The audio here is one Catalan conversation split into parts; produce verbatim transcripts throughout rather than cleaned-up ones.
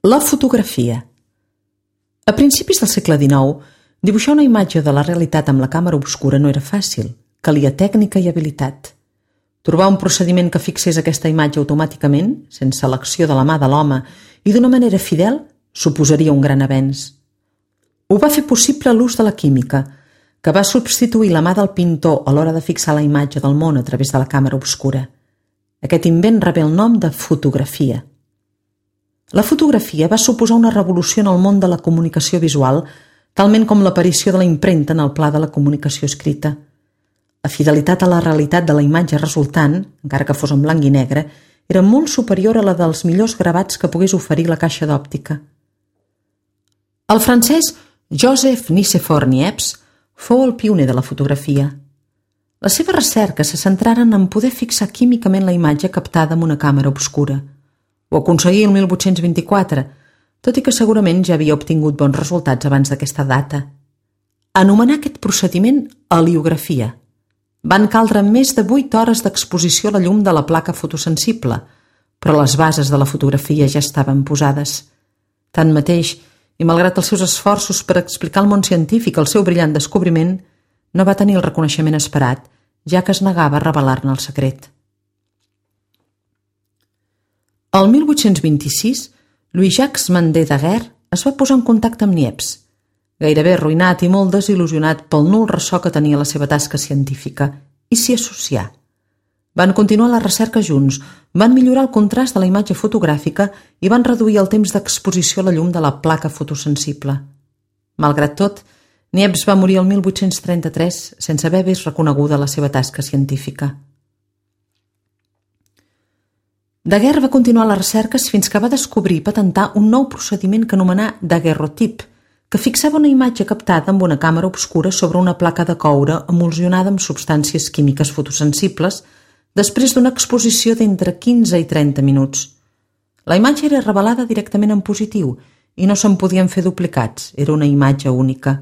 La fotografia. A principis del segle dinou, dibuixar una imatge de la realitat amb la càmera obscura no era fàcil, calia tècnica i habilitat. Trobar un procediment que fixés aquesta imatge automàticament, sense l'acció de la mà de l'home i d'una manera fidel, suposaria un gran avenç. Ho va fer possible l'ús de la química, que va substituir la mà del pintor a l'hora de fixar la imatge del món a través de la càmera obscura. Aquest invent rebé el nom de fotografia. La fotografia va suposar una revolució en el món de la comunicació visual, talment com l'aparició de la impremta en el pla de la comunicació escrita. La fidelitat a la realitat de la imatge resultant, encara que fos en blanc i negre, era molt superior a la dels millors gravats que pogués oferir la caixa d'òptica. El francès Joseph Nicéphore Niepce fou el pioner de la fotografia. Les seves recerques se centraren en poder fixar químicament la imatge captada amb una càmera obscura. Ho aconseguí el mil vuit-cents vint-i-quatre, tot i que segurament ja havia obtingut bons resultats abans d'aquesta data. Anomenà aquest procediment heliografia. Van caldre més de vuit hores d'exposició a la llum de la placa fotosensible, però les bases de la fotografia ja estaven posades. Tanmateix, i malgrat els seus esforços per explicar al món científic el seu brillant descobriment, no va tenir el reconeixement esperat, ja que es negava a revelar-ne el secret. El mil vuit-cents vint-i-sis, Louis-Jacques Mandé Daguerre es va posar en contacte amb Niepce, gairebé arruïnat i molt desil·lusionat pel nul ressò que tenia la seva tasca científica, i s'hi associà. Van continuar la recerca junts, van millorar el contrast de la imatge fotogràfica i van reduir el temps d'exposició a la llum de la placa fotosensible. Malgrat tot, Niepce va morir el mil vuit-cents trenta-tres sense haver vist reconeguda la seva tasca científica. Daguerre va continuar les recerques fins que va descobrir i patentar un nou procediment que anomenà daguerrotip, que fixava una imatge captada amb una càmera obscura sobre una placa de coure emulsionada amb substàncies químiques fotosensibles després d'una exposició d'entre quinze i trenta minuts. La imatge era revelada directament en positiu i no se'n podien fer duplicats, era una imatge única.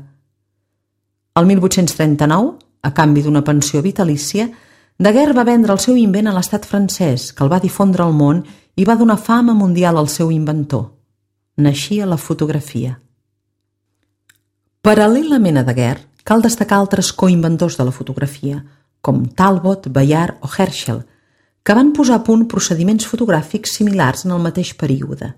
El mil vuit-cents trenta-nou, a canvi d'una pensió vitalícia, Daguerre va vendre el seu invent a l'estat francès, que el va difondre al món i va donar fama mundial al seu inventor. Naixia la fotografia. Paral·lelament a Daguerre, cal destacar altres coinventors de la fotografia, com Talbot, Bayard o Herschel, que van posar a punt procediments fotogràfics similars en el mateix període.